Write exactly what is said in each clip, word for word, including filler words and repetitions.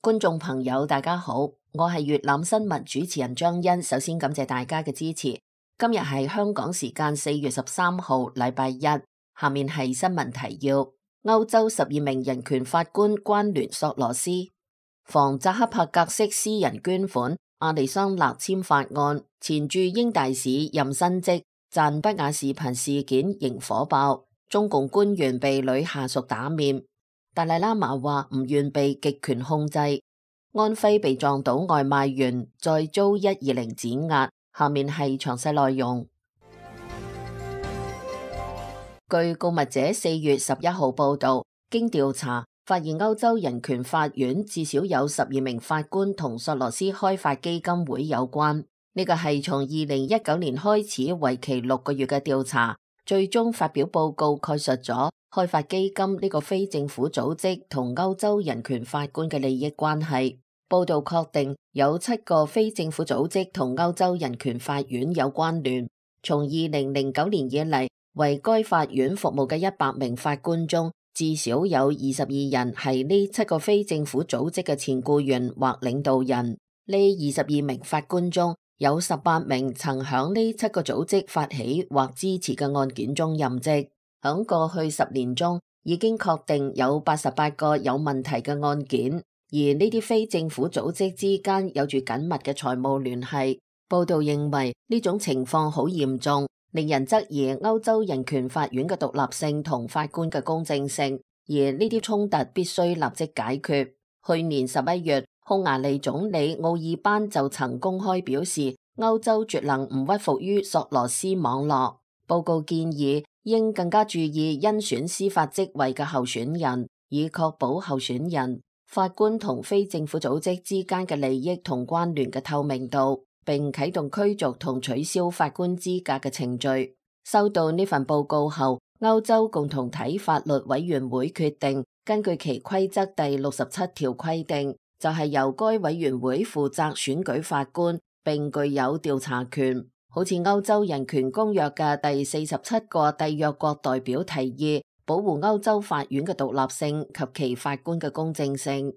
觀眾朋友大家好，我係粵覽新聞主持人張欣。首先感謝大家嘅支持。今日係香港時間四月十三號禮拜一，下面係新聞提要。歐洲十二名人權法官關聯索羅斯，防扎克伯格式私人捐款，亞利桑那簽法案，前駐英大使任新職，贊不雅視頻事件仍火爆，中共官員被女下屬打面。達賴喇嘛話唔願被極權控制。安徽被撞倒外賣員再遭一二零指壓，下面係詳細內容。據告密者四月十一號報道，經調查發現歐洲人權法院至少有十二名法官同索羅斯開發基金會有關。呢個係從二零一九年開始為期六個月嘅調查，最終發表報告概述咗開發基金呢個非政府組織同歐洲人權法官嘅利益關係。報道確定有七個非政府組織同歐洲人權法院有關聯。從二零零九年以嚟，為該法院服務嘅一百名法官中，至少有二十二人係呢七個非政府組織嘅前僱員或領導人。呢二十二名法官中，有十八名曾響呢七個組織發起或支持嘅案件中任職。響過去十年中，已經確定有八十八個有問題嘅案件，而呢啲非政府組織之間有住緊密嘅財務聯繫。報道認為呢種情況好嚴重，令人質疑歐洲人權法院嘅獨立性同法官嘅公正性，而呢啲衝突必須立即解決。去年十一月，匈牙利總理奧爾班就曾公開表示，歐洲絕能唔屈服於索羅斯網絡。報告建議應更加注意甄選司法職位嘅候選人，以確保候選人、法官同非政府組織之間嘅利益同關聯嘅透明度，並啟動驅逐同取消法官資格嘅程序。收到呢份報告後，歐洲共同體法律委員會決定根據其規則第六十七條規定，就係由該委員會負責選舉法官，並具有調查權。好似歐洲人權公約嘅第四十七個締約國代表提議，保護歐洲法院嘅獨立性及其法官嘅公正性。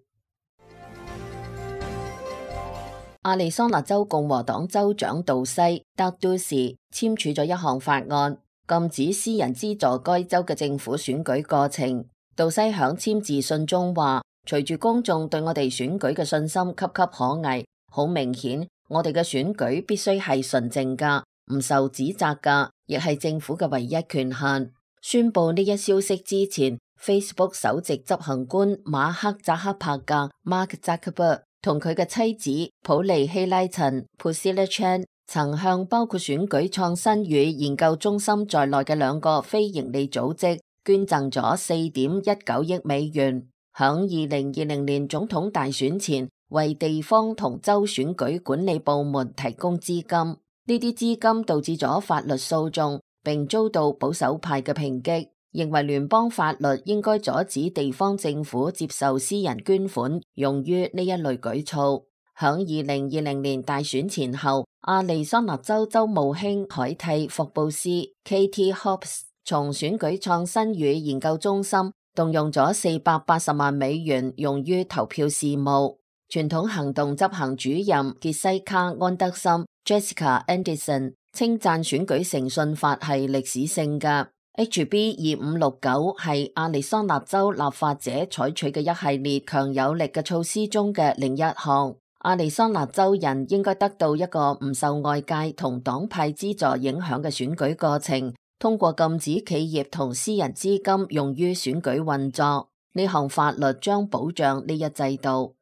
亞利桑那州共和黨州長杜西德都士簽署咗一項法案，禁止私人資助該州嘅政府選舉過程。杜西響簽字信中話，隨住公眾對我哋選舉嘅信心岌岌可危，好明顯，我哋嘅選舉必須係純正噶，唔受指責噶，亦係政府嘅唯一權限。宣布呢一消息之前， Facebook 首席執行官馬克扎克伯格 Mark Zuckerberg 同佢嘅妻子普利希拉陳 Priscilla Chan 曾向包括選舉創新與研究中心在內嘅兩個非營利組織捐贈咗四點一九億美元，響二零二零年總統大選前為地方同州選舉管理部門提供資金。呢啲資金導致咗法律訴訟，並遭到保守派嘅抨擊，認為聯邦法律應該阻止地方政府接受私人捐款用於呢一類舉措。響二零二零年大選前後，亞利桑那州州務卿凱蒂霍布斯 Katie Hobbs 從選舉創新與研究中心動用咗四百八十萬美元用於投票事務。傳統行動執行主任傑西卡安德森 Jessica Anderson 稱讚選舉誠信法係歷史性嘅。H B 二五六九係亞利桑那州立法者採取嘅一系列強有力嘅措施中嘅另一項。亞利桑那州人應該得到一個唔受外界同黨派資助影響嘅選舉過程，通過禁止企業同私人資金用於選舉運作。呢項法律將保障呢一制度。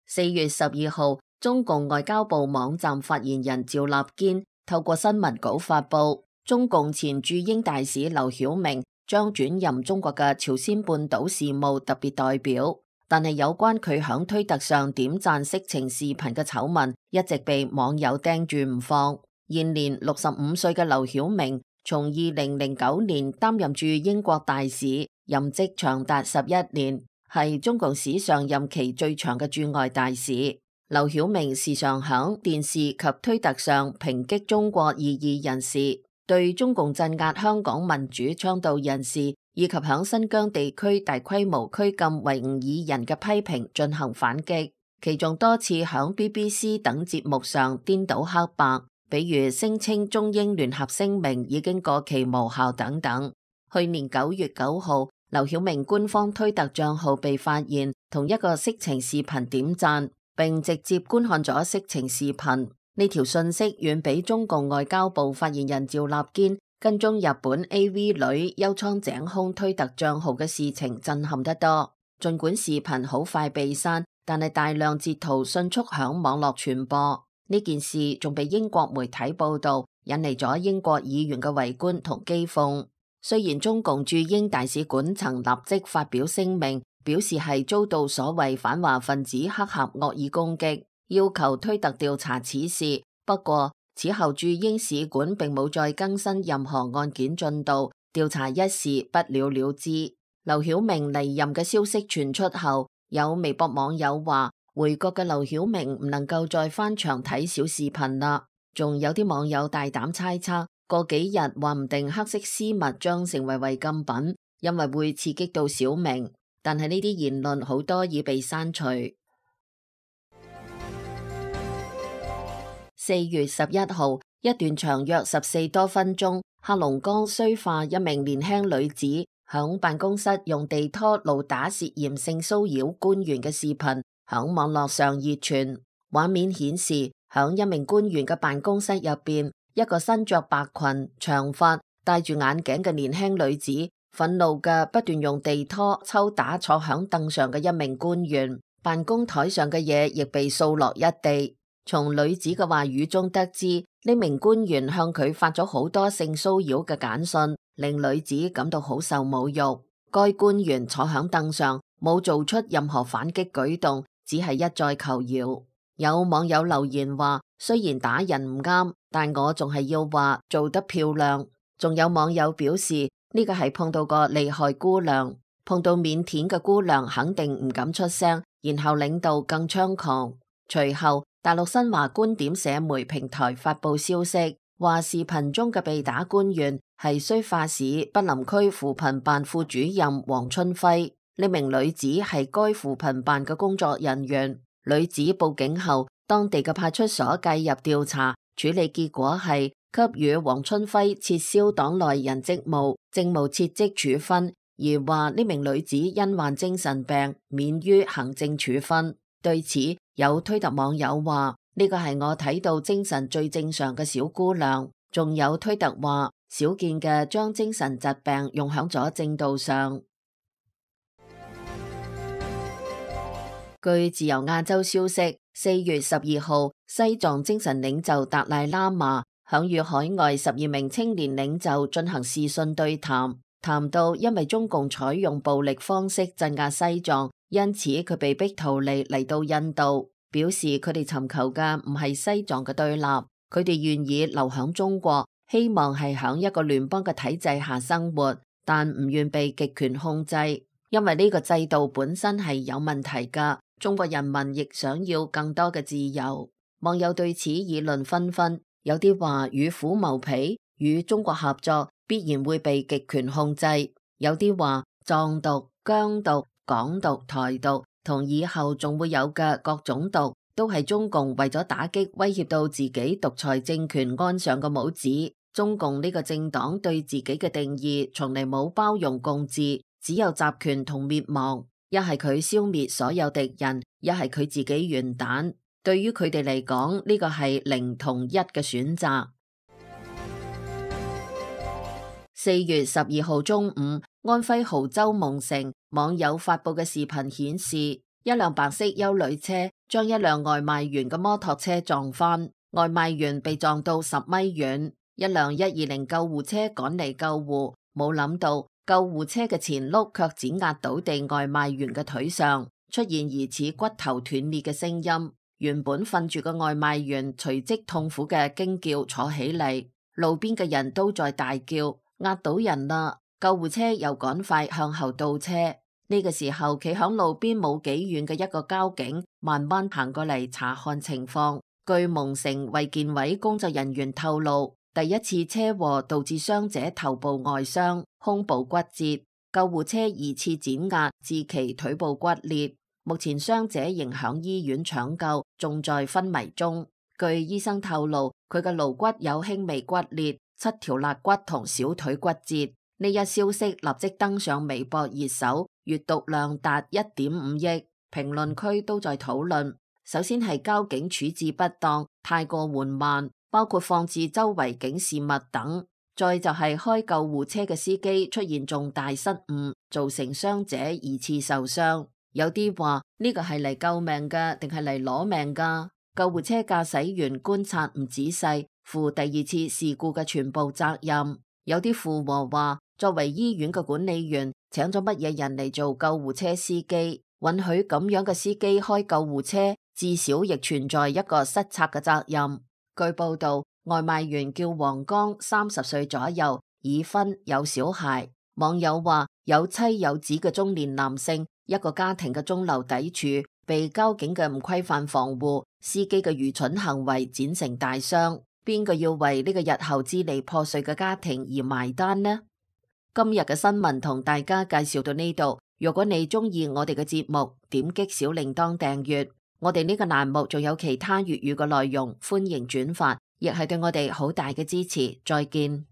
四月十二號，中共外交部網站發言人趙立堅透過新聞稿發佈，中共前駐英大使劉曉明將轉任中國嘅朝鮮半島事務特別代表。但係有關佢響推特上點讚色情視頻嘅醜聞一直被網友盯住唔放。現年六十五歲嘅劉曉明從二零零九年擔任駐英國大使，任職長達十一年，係中共史上任期最長嘅駐外大使。劉曉明時常響電視及推特上抨擊中國異議人士，對中共鎮壓香港民主倡導人士以及響新疆地區大規模拘禁維吾爾人嘅批評進行反擊，其中多次響 B B C 等節目上顛倒黑白，比如聲稱中英聯合聲明已經過期無效等等。去年九月九號，劉曉明官方推特賬號被發現同一個色情視頻點讚，並直接觀看咗色情視頻。呢條信息遠比中共外交部發言人趙立堅跟蹤日本 A V 女幽倉井空推特賬號嘅事情震撼得多。儘管視頻好快被刪，但係大量截圖迅速響網絡傳播。呢件事仲被英國媒體報道，引嚟咗英國議員嘅圍觀同譏諷。雖然中共駐英大使館曾立即發表聲明，表示係遭到所謂反華分子黑客惡意攻擊，要求推特調查此事。不過此後駐英使館並冇再更新任何案件進度，調查一事不了了之。劉曉明離任嘅消息傳出後，有微博網友話回國嘅劉曉明唔能夠再翻牆睇小視頻啦。仲有啲網友大膽猜測，過幾日話唔定黑色絲襪將成為違禁品，因為會刺激到小明。但係呢啲言論好多已被刪除。四月十一號，一段長約十四多分鐘，黑龍江綏化一名年輕女子響辦公室用地拖毆打涉嫌性騷擾官員嘅視頻響網絡上熱傳。畫面顯示，響一名官員嘅辦公室入邊，一個身着白裙、長髮、戴住眼鏡嘅年輕女子，憤怒嘅不斷用地拖抽打坐響凳上嘅一名官員，辦公台上嘅嘢亦被掃落一地。從女子嘅話語中得知，呢名官員向佢發咗好多性騷擾嘅簡訊，令女子感到好受侮辱。該官員坐響凳上，冇做出任何反擊舉動，只係一再求饒。有網友留言話，雖然打人唔啱，但我仲係要話做得漂亮。仲有網友表示，呢個係碰到個厲害姑娘，碰到腼腆嘅姑娘肯定唔敢出聲，然後領導更猖狂。隨後大陸新華觀點社媒平台發布消息，話視頻中嘅被打官員係綏化市北林區扶貧辦副主任黃春輝。呢名女子係該扶貧辦嘅工作人員。女子報警後，當地嘅派出所介入調查，處理結果係給予黃春輝撤銷黨內人職務、政務撤職處分，而話呢名女子因患精神病，免於行政處分。對此，有推特網友話呢個係我睇到精神最正常嘅小姑娘。仲有推特話少見嘅將精神疾病用響咗正道上。據自由亞洲消息，四月十二號，西藏精神領袖達賴喇嘛響與海外十二名青年領袖進行視訊對談，談到因為中共採用暴力方式鎮壓西藏，因此佢被逼逃離嚟到印度，表示佢哋尋求嘅唔係西藏嘅對立，佢哋願意留響中國，希望係響一個聯邦嘅體制下生活，但唔願被極權控制，因為呢個制度本身係有問題噶。中國人民亦想要更多嘅自由。網友對此議論紛紛，有啲話與虎謀皮，與中國合作必然會被極權控制；有啲話藏獨、疆獨、港獨、台獨同以後仲會有嘅各種獨，都係中共為咗打擊威脅到自己獨裁政權安上嘅帽子。中共呢個政黨對自己嘅定義從嚟冇包容共治，只有集權同滅亡。一係佢消滅所有敵人，一係佢自己完蛋。對於佢哋嚟講，呢個係零同一嘅選擇。四月十二號中午，安徽亳州蒙城網友發布嘅視頻顯示，一輛白色休旅車將一輛外賣員嘅摩托車撞翻，外賣員被撞到十米遠。一輛一二零救護車趕嚟救護，冇諗到救護車嘅前轆卻碾壓倒地外賣員嘅腿上，出現疑似骨頭斷裂嘅聲音。原本瞓住嘅外賣員隨即痛苦嘅驚叫坐起嚟，路邊嘅人都在大叫，壓到人啦！救護車又趕快向後倒車。呢個時候，企響路邊冇幾遠嘅一個交警慢慢行過嚟查看情況。據蒙城衛健委工作人員透露，第一次車禍導致傷者頭部外傷、胸部骨折。救護車疑似碾壓致其腿部骨裂，目前傷者仍響醫院搶救，仲在昏迷中。據醫生透露，佢嘅顱骨有輕微骨裂，七條肋骨同小腿骨折。呢一消息立即登上微博熱搜，閱讀量達一點五億，評論區都在討論。首先係交警處置不當，太過緩慢，包括放置周圍警示物等。再就係開救護車嘅司機出現重大失誤，造成傷者二次受傷。有啲話呢個係嚟救命㗎，定係嚟攞命㗎？救護車駕駛員觀察唔仔細，負第二次事故嘅全部責任。有啲附和話，作為醫院嘅管理員，請咗乜嘢人嚟做救護車司機？允許咁樣嘅司機開救護車，至少亦存在一個失策嘅責任。據報道，外賣員叫黃剛，三十歲左右，已婚有小孩。網友話，有妻有子嘅中年男性，一個家庭嘅中流砥柱，被交警嘅唔規範防護、司機嘅愚蠢行為剪成大傷。邊個要為呢個日後支離破碎嘅家庭而埋單呢？今日嘅新聞同大家介紹到呢度。如果你中意我哋嘅節目，點擊小鈴鐺訂閱。我哋呢個欄目仲有其他粵語嘅內容，歡迎轉發，亦係對我哋好大嘅支持。再見。